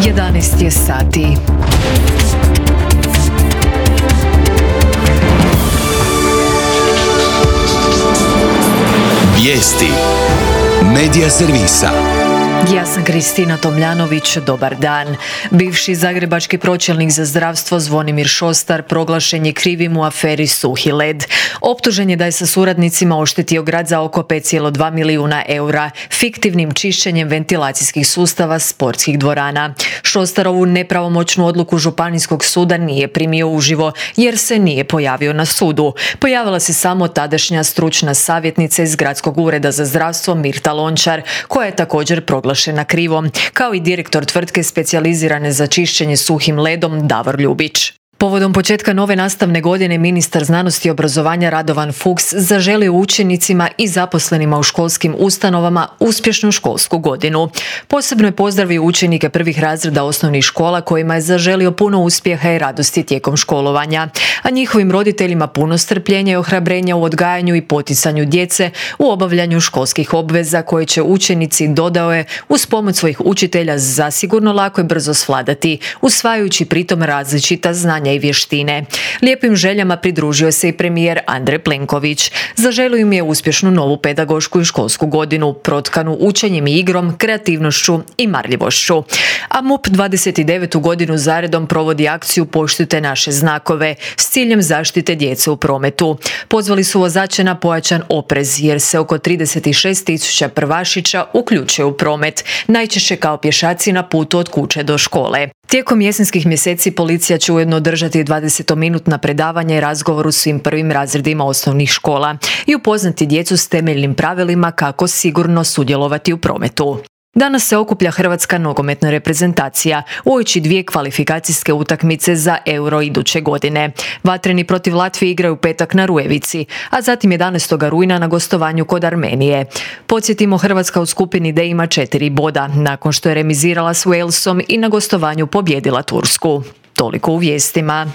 11 je sati. Vijesti Medija servisa. Ja sam Kristina Tomljanović, dobar dan. Bivši zagrebački pročelnik za zdravstvo Zvonimir Šostar proglašen je krivim u aferi Suhi led. Optužen je da je sa suradnicima oštetio grad za oko 5,2 milijuna eura fiktivnim čišćenjem ventilacijskih sustava sportskih dvorana. Šostarovu nepravomoćnu odluku Županijskog suda nije primio uživo jer se nije pojavio na sudu. Pojavila se samo tadašnja stručna savjetnica iz Gradskog ureda za zdravstvo Mirta Lončar, koja je također proglašena krivom, kao i direktor tvrtke specijalizirane za čišćenje suhim ledom Davor Ljubić. Povodom početka nove nastavne godine ministar znanosti i obrazovanja Radovan Fuchs zaželio učenicima i zaposlenima u školskim ustanovama uspješnu školsku godinu. Posebno je pozdravio učenike prvih razreda osnovnih škola kojima je zaželio puno uspjeha i radosti tijekom školovanja, a njihovim roditeljima puno strpljenja i ohrabrenja u odgajanju i poticanju djece u obavljanju školskih obveza koje će učenici, dodao je, uz pomoć svojih učitelja zasigurno lako i brzo svladati, usvajajući pritom različita znanja i vještine. Lijepim željama pridružio se i premijer Andrej Plenković. Zaželio im je uspješnu novu pedagošku i školsku godinu, protkanu učenjem i igrom, kreativnošću i marljivošću. A MUP 29. godinu zaredom provodi akciju Poštujte naše znakove s ciljem zaštite djece u prometu. Pozvali su vozače na pojačan oprez jer se oko 36.000 prvašića uključuje u promet, najčešće kao pješaci na putu od kuće do škole. Tijekom jesenskih mjeseci policija će ujedno održati 20-minutna predavanja i razgovor u svim prvim razredima osnovnih škola i upoznati djecu s temeljnim pravilima kako sigurno sudjelovati u prometu. Danas se okuplja hrvatska nogometna reprezentacija uoči 2 kvalifikacijske utakmice za Euro iduće godine. Vatreni protiv Latvije igraju petak na Rujevici, a zatim 11. rujna na gostovanju kod Armenije. Podsjetimo, Hrvatska u skupini D ima 4 boda, nakon što je remizirala s Walesom i na gostovanju pobijedila Tursku. Toliko u vijestima.